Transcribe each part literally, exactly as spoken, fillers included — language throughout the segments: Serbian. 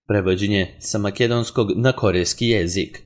Prevođenje sa makedonskog na korejski jezik.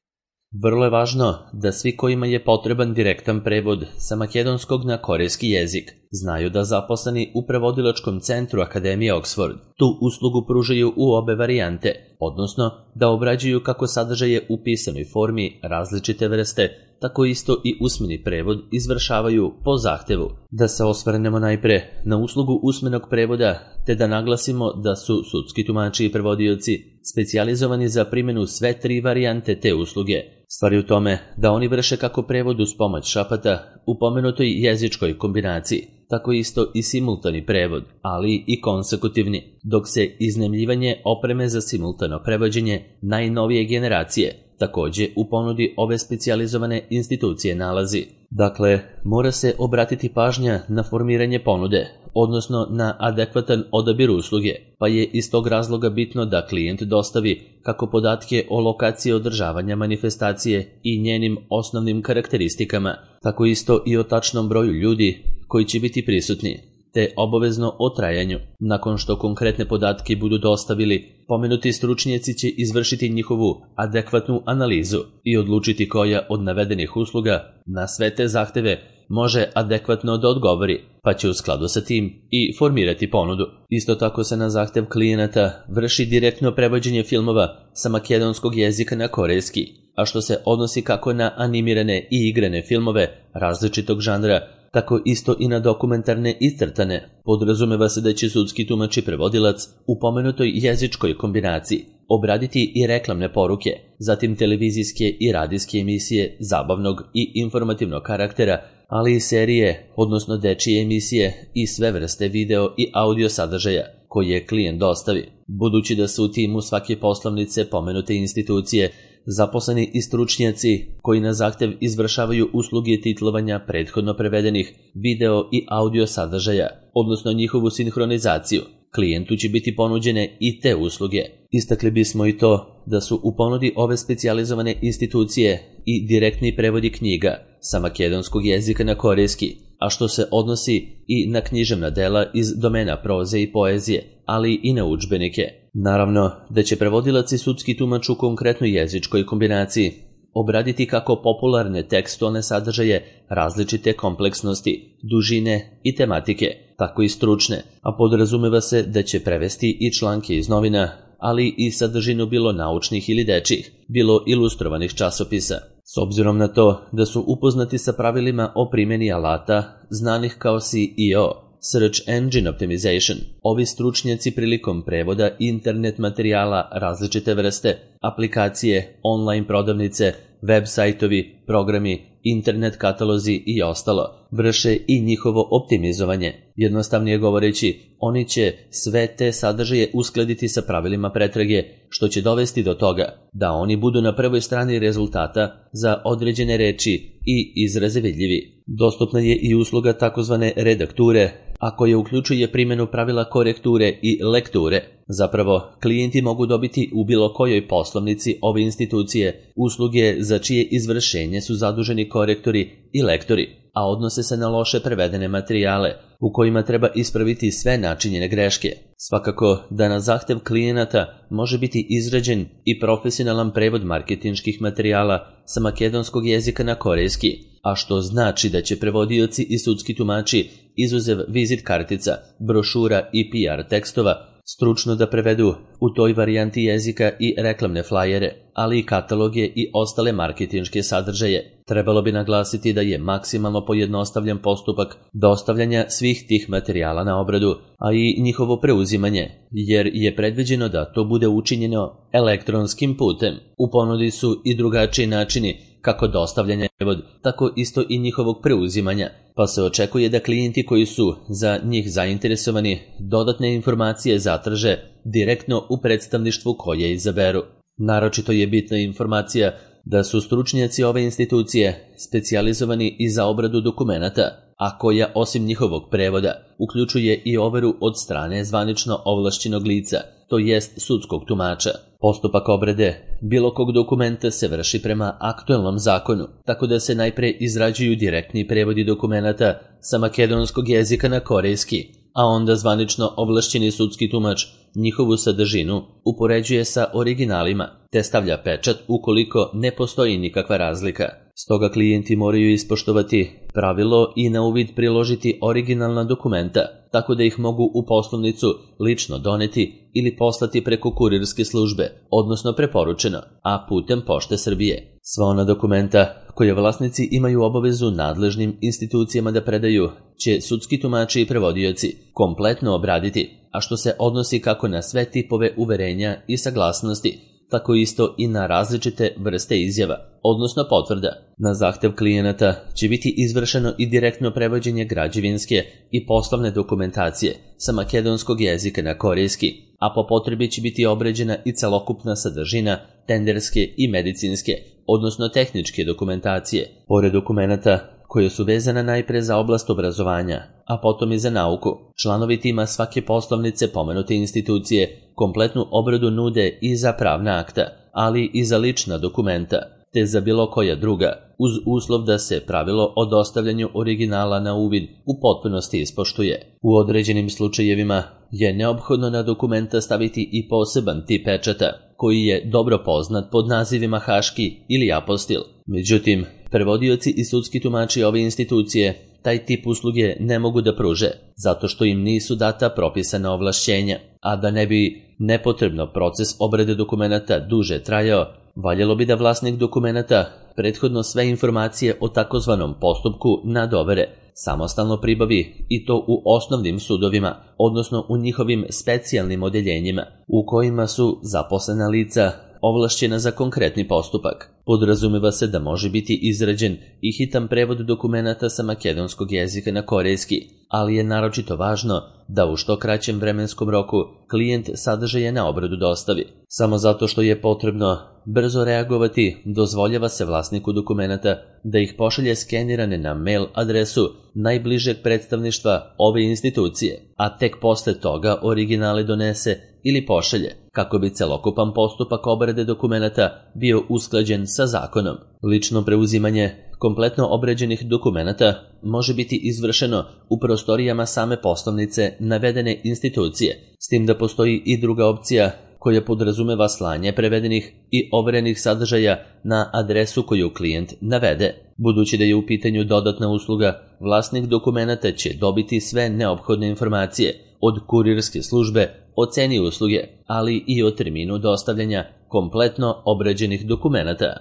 Vrlo je važno da svi kojima je potreban direktan prevod sa makedonskog na korejski jezik znaju da zaposleni u prevodilačkom centru Akademije Oxford tu uslugu pružaju u obe varijante, odnosno da obrađuju kako sadržaje u pisanoj formi različite vrste, tako isto i usmeni prevod izvršavaju po zahtevu. Da se osvrnemo najpre na uslugu usmenog prevoda, te da naglasimo da su sudski tumači i prevodioci specijalizovani za primjenu sve tri varijante te usluge. Stvar je u tome da oni vrše kako prevod uz pomoć šapata u pomenutoj jezičkoj kombinaciji, tako isto i simultani prevod, ali i konsekutivni, dok se iznajmljivanje opreme za simultano prevođenje najnovije generacije takođe u ponudi ove specijalizovane institucije nalazi. Dakle, mora se obratiti pažnja na formiranje ponude, odnosno na adekvatan odabir usluge, pa je iz tog razloga bitno da klijent dostavi kako podatke o lokaciji održavanja manifestacije i njenim osnovnim karakteristikama, tako isto i o tačnom broju ljudi koji će biti prisutni, te obavezno o trajanju. Nakon što konkretne podatke budu dostavili, pomenuti stručnjaci će izvršiti njihovu adekvatnu analizu i odlučiti koja od navedenih usluga na sve te zahteve može adekvatno da odgovori, pa će u skladu sa tim i formirati ponudu. Isto tako se na zahtev klijenata vrši direktno prevođenje filmova sa makedonskog jezika na korejski, a što se odnosi kako na animirane i igrane filmove različitog žanra, tako isto i na dokumentarne iscrtane. Podrazumeva se da će sudski tumač i prevodilac u pomenutoj jezičkoj kombinaciji obraditi i reklamne poruke, zatim televizijske i radijske emisije zabavnog i informativnog karaktera, ali i serije, odnosno dečije emisije i sve vrste video i audio sadržaja koje klijent dostavi. Budući da su u timu svake poslovnice pomenute institucije zaposleni i stručnjaci koji na zahtev izvršavaju usluge titlovanja prethodno prevedenih video i audio sadržaja, odnosno njihovu sinhronizaciju, klijentu će biti ponuđene i te usluge. Istakli bismo i to da su u ponudi ove specijalizovane institucije i direktni prevodi knjiga sa makedonskog jezika na korejski, a što se odnosi i na književna dela iz domena proze i poezije, ali i na udžbenike. Naravno da će prevodilac i sudski tumač u konkretnoj jezičkoj kombinaciji obraditi kako popularne tekstualne sadržaje različite kompleksnosti, dužine i tematike, tako i stručne, a podrazumeva se da će prevesti i članke iz novina, ali i sadržinu bilo naučnih ili dečjih, bilo ilustrovanih časopisa. S obzirom na to da su upoznati sa pravilima o primjeni alata znanih kao S E O, Search Engine Optimization, ovi stručnjaci prilikom prevoda internet materijala različite vrste, aplikacije, online prodavnice, web sajtovi, programi, internet katalozi i ostalo, vrše i njihovo optimizovanje. Jednostavnije govoreći, oni će sve te sadržaje uskladiti sa pravilima pretrage, što će dovesti do toga da oni budu na prvoj strani rezultata za određene reči i izraze vidljivi. Dostupna je i usluga takozvane redakture, a koja uključuje primjenu pravila korekture i lekture. Zapravo, klijenti mogu dobiti u bilo kojoj poslovnici ove institucije usluge za čije izvršenje su zaduženi korektori i lektori, a odnose se na loše prevedene materijale u kojima treba ispraviti sve načinjene greške. Svakako da na zahtev klijenata može biti izrađen i profesionalan prevod marketinških materijala sa makedonskog jezika na korejski, a što znači da će prevodioci i sudski tumači izuzev vizit kartica, brošura i P R tekstova stručno da prevedu u toj varijanti jezika i reklamne flajere, ali i kataloge i ostale marketinške sadržaje. Trebalo bi naglasiti da je maksimalno pojednostavljen postupak dostavljanja svih tih materijala na obradu, a i njihovo preuzimanje, jer je predviđeno da to bude učinjeno elektronskim putem. U ponudi su i drugačiji načini kako dostavljanja prevod, tako isto i njihovog preuzimanja, pa se očekuje da klijenti koji su za njih zainteresovani dodatne informacije zatraže direktno u predstavništvu koje izaberu. Naročito je bitna informacija da su stručnjaci ove institucije specijalizovani i za obradu dokumenata, a koja osim njihovog prevoda uključuje i overu od strane zvanično ovlašćenog lica, to jest sudskog tumača. Postupak obrade bilo kog dokumenta se vrši prema aktuelnom zakonu, tako da se najpre izrađuju direktni prevodi dokumenata sa makedonskog jezika na korejski, a onda zvanično ovlašćeni sudski tumač njihovu sadržinu upoređuje sa originalima, te stavlja pečat ukoliko ne postoji nikakva razlika. Stoga klijenti moraju ispoštovati pravilo i na uvid priložiti originalna dokumenta, tako da ih mogu u poslovnicu lično doneti ili poslati preko kurirske službe, odnosno preporučeno, a putem Pošte Srbije. Sva ona dokumenta koje vlasnici imaju obavezu nadležnim institucijama da predaju će sudski tumači i prevodioci kompletno obraditi, a što se odnosi kako na sve tipove uverenja i saglasnosti, tako isto i na različite vrste izjava, odnosno potvrda. Na zahtev klijenata će biti izvršeno i direktno prevođenje građevinske i poslovne dokumentacije sa makedonskog jezika na korejski, a po potrebi će biti obrađena i celokupna sadržina tenderske i medicinske, odnosno tehničke dokumentacije. Pored dokumenata koje su vezana najpre za oblast obrazovanja, a potom i za nauku, članovi tima svake poslovnice pomenute institucije kompletnu obradu nude i za pravna akta, ali i za lična dokumenta, te za bilo koja druga, uz uslov da se pravilo o dostavljanju originala na uvid u potpunosti ispoštuje. U određenim slučajevima je neophodno na dokumenta staviti i poseban tip pečata, koji je dobro poznat pod nazivima haški ili apostil. Međutim, prevodioci i sudski tumači ove institucije taj tip usluge ne mogu da pruže, zato što im nisu data propisana ovlašćenja, a da ne bi nepotrebno proces obrade dokumenata duže trajao, valjalo bi da vlasnik dokumenata prethodno sve informacije o takozvanom postupku nadovere, samostalno pribavi i to u osnovnim sudovima, odnosno u njihovim specijalnim odeljenjima, u kojima su zaposlena lica ovlašćena za konkretni postupak. Podrazumeva se da može biti izrađen i hitan prevod dokumenata sa makedonskog jezika na korejski, ali je naročito važno da u što kraćem vremenskom roku klijent sadržaje na obradu dostavi. Samo zato što je potrebno brzo reagovati, dozvoljava se vlasniku dokumenata da ih pošalje skenirane na mail adresu najbližeg predstavništva ove institucije, a tek posle toga originale donese ili pošalje, kako bi celokupan postupak obrade dokumenata bio usklađen sa zakonom. Lično preuzimanje kompletno obrađenih dokumenata može biti izvršeno u prostorijama same poslovnice navedene institucije, s tim da postoji i druga opcija koja podrazumeva slanje prevedenih i overenih sadržaja na adresu koju klijent navede. Budući da je u pitanju dodatna usluga, vlasnik dokumenata će dobiti sve neophodne informacije od kurirske službe o ceni usluge, ali i o terminu dostavljanja kompletno obrađenih dokumenata.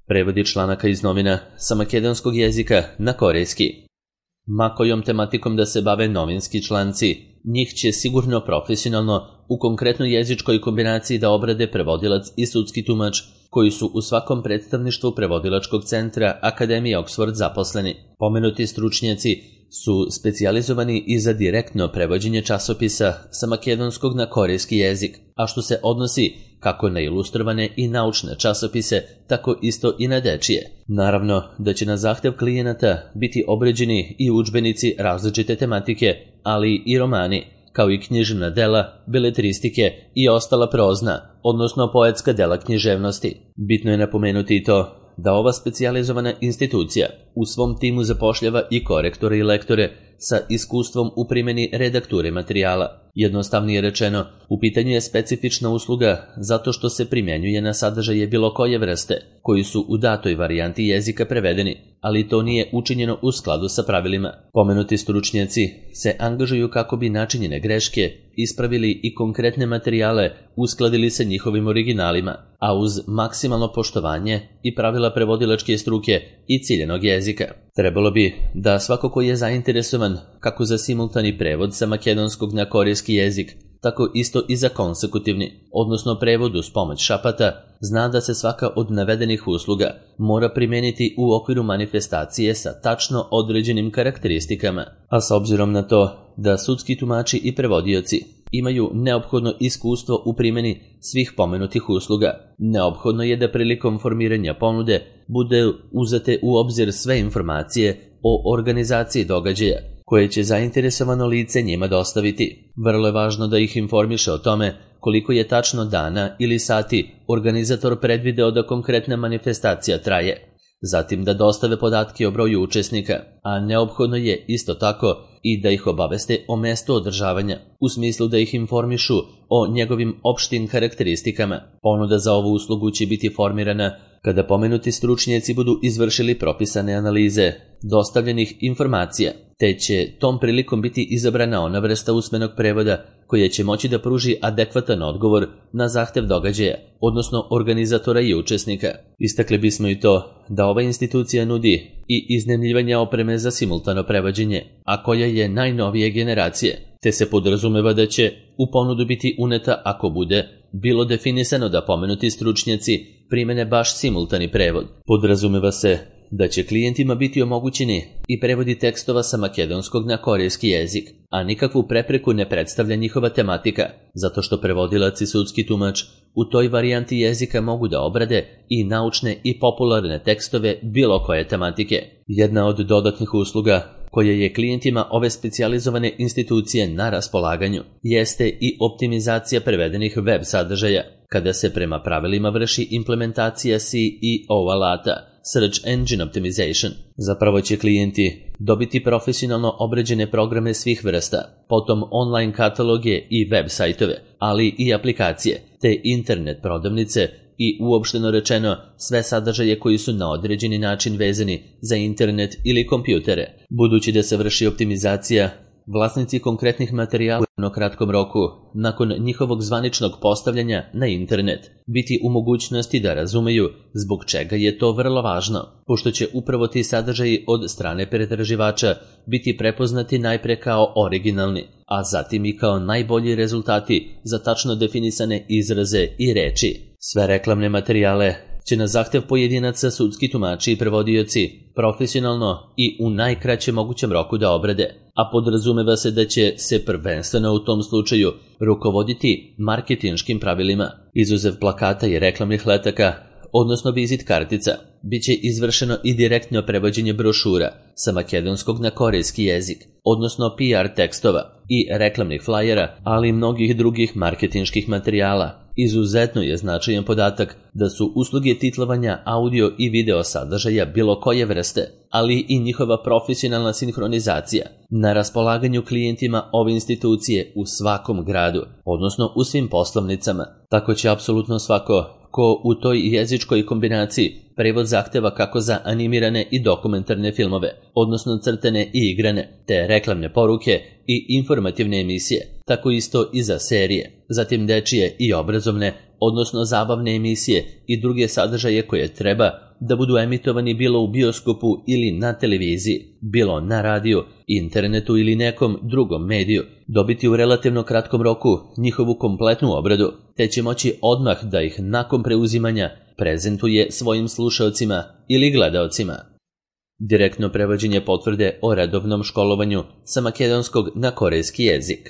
Prevodi članaka iz novina sa makedonskog jezika na korejski. Ma kojom tematikom da se bave novinski članci, njih će sigurno profesionalno u konkretnoj jezičkoj kombinaciji da obrade prevodilac i sudski tumač, koji su u svakom predstavništvu prevodilačkog centra Akademije Oxford zaposleni. Pomenuti stručnjaci su specijalizovani i za direktno prevođenje časopisa sa makedonskog na korejski jezik, a što se odnosi kako na ilustrovane i naučne časopise, tako isto i na dečije. Naravno da će na zahtev klijenata biti obrađeni i udžbenici različite tematike, ali i romani, kao i književna dela, beletristike i ostala prozna, odnosno poetska dela književnosti. Bitno je napomenuti i to da ova specijalizovana institucija u svom timu zapošljava i korektore i lektore sa iskustvom u primjeni redakture materijala. Jednostavnije rečeno, u pitanju je specifična usluga zato što se primjenjuje na sadržaje bilo koje vrste, koji su u datoj varijanti jezika prevedeni, ali to nije učinjeno u skladu sa pravilima. Pomenuti stručnjaci se angažuju kako bi načinjene greške ispravili i konkretne materijale uskladili sa njihovim originalima, a uz maksimalno poštovanje i pravila prevodilačke struke i ciljenog jezika. Trebalo bi da svako ko je zainteresovan kako za simultani prevod sa makedonskog na korejski jezik, tako isto i za konsekutivni, odnosno prevod uz pomoć šapata, zna da se svaka od navedenih usluga mora primijeniti u okviru manifestacije sa tačno određenim karakteristikama, a s obzirom na to da sudski tumači i prevodioci imaju neophodno iskustvo u primjeni svih pomenutih usluga, neophodno je da prilikom formiranja ponude bude uzete u obzir sve informacije o organizaciji događaja koje će zainteresovano lice njima dostaviti. Vrlo je važno da ih informiše o tome koliko je tačno dana ili sati organizator predvideo da konkretna manifestacija traje, zatim da dostave podatke o broju učesnika, a neophodno je isto tako i da ih obaveste o mestu održavanja, u smislu da ih informišu o njegovim opštim karakteristikama. Ponuda za ovu uslugu će biti formirana kada pomenuti stručnjaci budu izvršili propisane analize dostavljenih informacija, te će tom prilikom biti izabrana ona vrsta usmenog prevoda koja će moći da pruži adekvatan odgovor na zahtev događaja, odnosno organizatora i učesnika. Istakli bismo i to da ova institucija nudi i iznajmljivanje opreme za simultano prevođenje, a koja je najnovije generacije, te se podrazumeva da će u ponudu biti uneta ako bude bilo definisano da pomenuti stručnjaci primene baš simultani prevod. Podrazumeva se da će klijentima biti omogućeni i prevodi tekstova sa makedonskog na korejski jezik, a nikakvu prepreku ne predstavlja njihova tematika, zato što prevodilac i sudski tumač u toj varijanti jezika mogu da obrade i naučne i popularne tekstove bilo koje tematike. Jedna od dodatnih usluga koja je klijentima ove specijalizovane institucije na raspolaganju jeste i optimizacija prevedenih web sadržaja, kada se prema pravilima vrši implementacija C E O alata, Search Engine Optimization. Zapravo će klijenti dobiti profesionalno obrađene programe svih vrsta, potom online kataloge i web sajtove, ali i aplikacije, te internet prodavnice i uopšteno rečeno sve sadržaje koji su na određeni način vezani za internet ili kompjutere. Budući da se vrši optimizacija, vlasnici konkretnih materijala u kratkom roku, nakon njihovog zvaničnog postavljanja na internet, biti u mogućnosti da razumeju zbog čega je to vrlo važno, pošto će upravo ti sadržaji od strane pretraživača biti prepoznati najpre kao originalni, a zatim i kao najbolji rezultati za tačno definisane izraze i reči. Sve reklamne materijale će na zahtev pojedinaca sudski tumači i prevodioci profesionalno i u najkraćem mogućem roku da obrade, a podrazumeva se da će se prvenstveno u tom slučaju rukovoditi marketinškim pravilima. Izuzev plakata i reklamnih letaka, odnosno vizit kartica, bit će izvršeno i direktno prevođenje brošura sa makedonskog na korejski jezik, odnosno P R tekstova i reklamnih flajera, ali i mnogih drugih marketinških materijala. Izuzetno je značajan podatak da su usluge titlovanja audio i video sadržaja bilo koje vrste, ali i njihova profesionalna sinhronizacija na raspolaganju klijentima ove institucije u svakom gradu, odnosno u svim poslovnicama. Tako će apsolutno svako ko u toj jezičkoj kombinaciji prevod zahteva kako za animirane i dokumentarne filmove, odnosno crtene i igrane, te reklamne poruke i informativne emisije, tako isto i za serije, zatim dečije i obrazovne, odnosno zabavne emisije i druge sadržaje koje treba da budu emitovani bilo u bioskopu ili na televiziji, bilo na radiju, internetu ili nekom drugom mediju, dobiti u relativno kratkom roku njihovu kompletnu obradu, te će moći odmah da ih nakon preuzimanja prezentuje svojim slušaocima ili gledaocima. Direktno prevođenje potvrde o redovnom školovanju sa makedonskog na korejski jezik.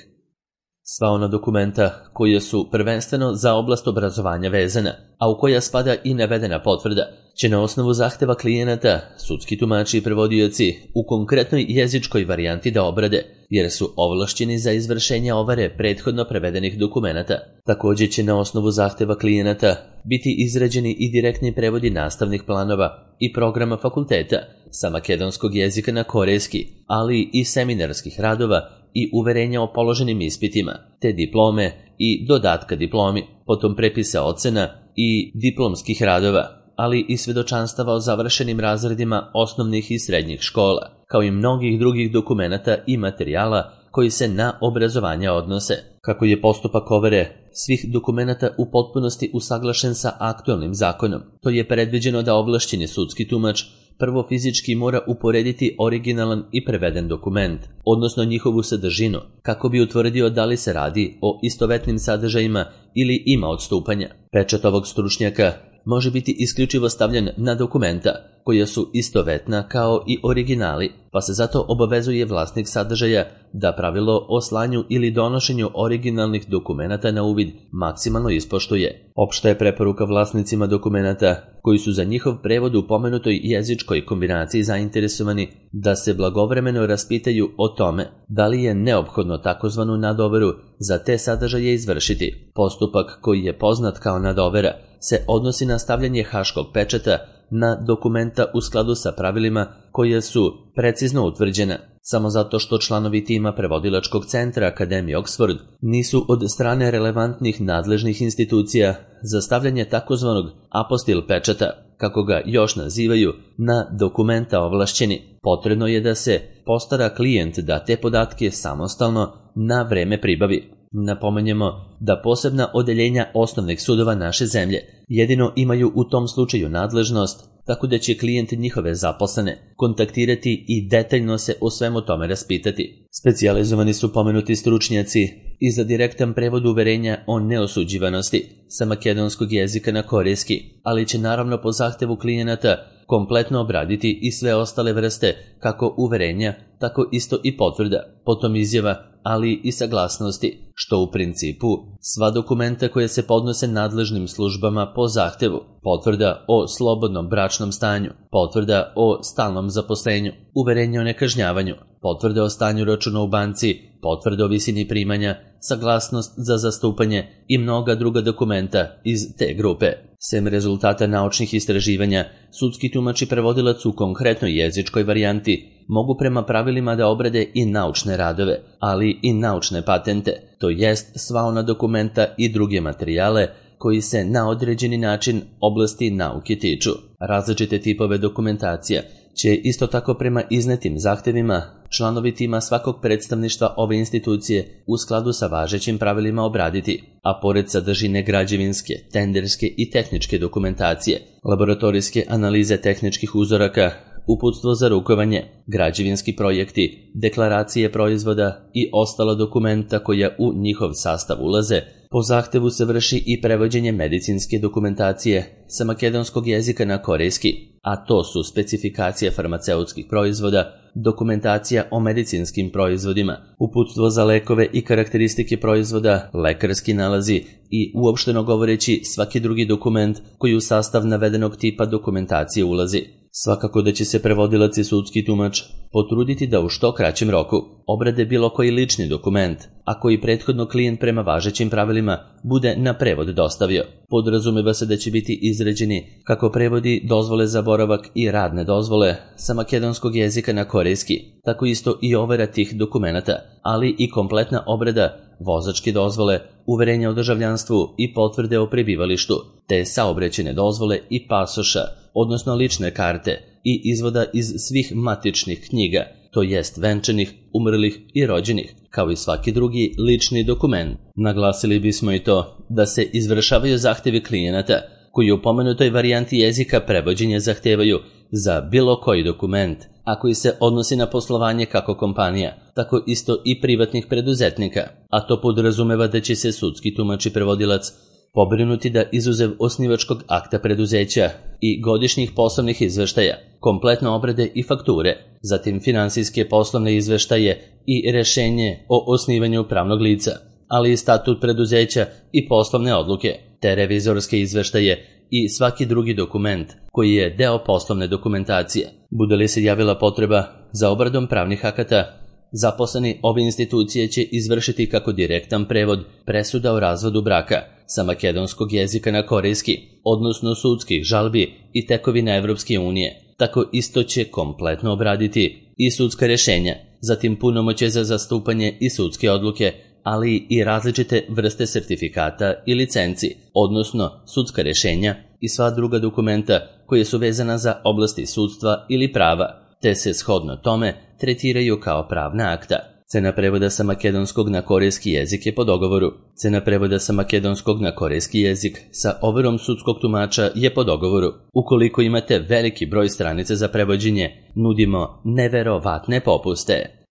Sva ona dokumenta koje su prvenstveno za oblast obrazovanja vezana, a u koja spada i navedena potvrda, će na osnovu zahteva klijenata sudski tumači i prevodioci u konkretnoj jezičkoj varijanti da obrade, jer su ovlašćeni za izvršenje overe prethodno prevedenih dokumenata. Također će na osnovu zahteva klijenata biti izrađeni i direktni prevodi nastavnih planova i programa fakulteta sa makedonskog jezika na korejski, ali i seminarskih radova i uverenja o položenim ispitima, te diplome i dodatka diplomi, potom prepisa ocena i diplomskih radova, ali i svedočanstava o završenim razredima osnovnih i srednjih škola, kao i mnogih drugih dokumenata i materijala koji se na obrazovanje odnose. Kako je postupak overe svih dokumenata u potpunosti usaglašen sa aktualnim zakonom, to je predviđeno da ovlašćeni sudski tumač prvo fizički mora uporediti originalan i preveden dokument, odnosno njihovu sadržinu, kako bi utvrdio da li se radi o istovetnim sadržajima ili ima odstupanja. Pečat ovog stručnjaka može biti isključivo stavljen na dokumenta koja su istovetna kao i originali, pa se zato obavezuje vlasnik sadržaja da pravilo o slanju ili donošenju originalnih dokumenata na uvid maksimalno ispoštuje. Opšta je preporuka vlasnicima dokumenata koji su za njihov prevod u pomenutoj jezičkoj kombinaciji zainteresovani da se blagovremeno raspitaju o tome da li je neophodno takozvanu nadoveru za te sadržaje izvršiti. Postupak koji je poznat kao nadovera se odnosi na stavljanje haškog pečata na dokumenta u skladu sa pravilima koja su precizno utvrđena. samo zato što članovi tima prevodilačkog centra Akademije Oxford nisu od strane relevantnih nadležnih institucija za stavljanje takozvanog apostil pečata, kako ga još nazivaju, na dokumenta ovlašćeni. Potrebno je da se postara klijent da te podatke samostalno na vreme pribavi. Napomenjemo da posebna odeljenja osnovnih sudova naše zemlje jedino imaju u tom slučaju nadležnost, tako da će klijent njihove zaposlene kontaktirati i detaljno se o svemu tome raspitati. Specijalizovani su pomenuti stručnjaci i za direktan prevod uverenja o neosuđivanosti sa makedonskog jezika na korejski, ali će naravno po zahtevu klijenata kompletno obraditi i sve ostale vrste kako uverenja, tako isto i potvrda, potom izjava, ali i saglasnosti, što u principu sva dokumenta koje se podnose nadležnim službama po zahtevu, potvrda o slobodnom bračnom stanju, potvrda o stalnom zaposlenju, uverenje o nekažnjavanju, potvrda o stanju računa u banci, potvrda o visini primanja, saglasnost za zastupanje i mnoga druga dokumenta iz te grupe. Sem rezultata naučnih istraživanja, sudski tumač i prevodilac u konkretnoj jezičkoj varijanti mogu prema pravilima da obrade i naučne radove, ali i naučne patente, to jest sva ona dokumenta i druge materijale koji se na određeni način oblasti nauke tiču. Različite tipove dokumentacija će isto tako prema iznetim zahtevima članovi tima svakog predstavništva ove institucije u skladu sa važećim pravilima obraditi, a pored sadržine građevinske, tenderske i tehničke dokumentacije, laboratorijske analize tehničkih uzoraka, uputstvo za rukovanje, građevinski projekti, deklaracije proizvoda i ostala dokumenta koja u njihov sastav ulaze, po zahtevu se vrši i prevođenje medicinske dokumentacije sa makedonskog jezika na korejski, a to su specifikacija farmaceutskih proizvoda, dokumentacija o medicinskim proizvodima, uputstvo za lekove i karakteristike proizvoda, lekarski nalazi i uopšteno govoreći svaki drugi dokument koji u sastav navedenog tipa dokumentacije ulazi. Svakako da će se prevodilac i sudski tumač potruditi da u što kraćem roku obrade bilo koji lični dokument, a koji prethodno klijent prema važećim pravilima bude na prevod dostavio. Podrazumeva se da će biti izrađeni kako prevodi dozvole za boravak i radne dozvole sa makedonskog jezika na korejski, tako isto i overa tih dokumenata, ali i kompletna obrada vozačke dozvole, uverenja o državljanstvu i potvrde o prebivalištu, te saobraćajne dozvole i pasoša, odnosno lične karte i izvoda iz svih matičnih knjiga, to jest venčanih, umrlih i rođenih, kao i svaki drugi lični dokument. Naglasili bismo i to da se izvršavaju zahtevi klijenata koji u pomenutoj varijanti jezika prevođenja zahtevaju za bilo koji dokument, a koji se odnosi na poslovanje kako kompanija, tako isto i privatnih preduzetnika, a to podrazumeva da će se sudski tumač i prevodilac pobrinuti da izuzev osnivačkog akta preduzeća i godišnjih poslovnih izveštaja, kompletno obrade i fakture, zatim finansijske poslovne izveštaje i rešenje o osnivanju pravnog lica, ali i statut preduzeća i poslovne odluke, te revizorske izveštaje i svaki drugi dokument koji je deo poslovne dokumentacije. Bude li se javila potreba za obradom pravnih akata, zaposleni ove institucije će izvršiti kako direktan prevod presuda o razvodu braka sa makedonskog jezika na korejski, odnosno sudskih žalbi i tekovina Evropske unije. Tako isto će kompletno obraditi i sudska rešenja, zatim punomoćje za zastupanje i sudske odluke, ali i različite vrste sertifikata i licenci, odnosno sudska rešenja i sva druga dokumenta koje su vezana za oblasti sudstva ili prava, te se shodno tome tretiraju kao pravna akta. Cena prevoda sa makedonskog na korejski jezik je po dogovoru. Cena prevoda sa makedonskog na korejski jezik sa overom sudskog tumača je po dogovoru. Ukoliko imate veliki broj stranica za prevođenje, nudimo neverovatne popuste.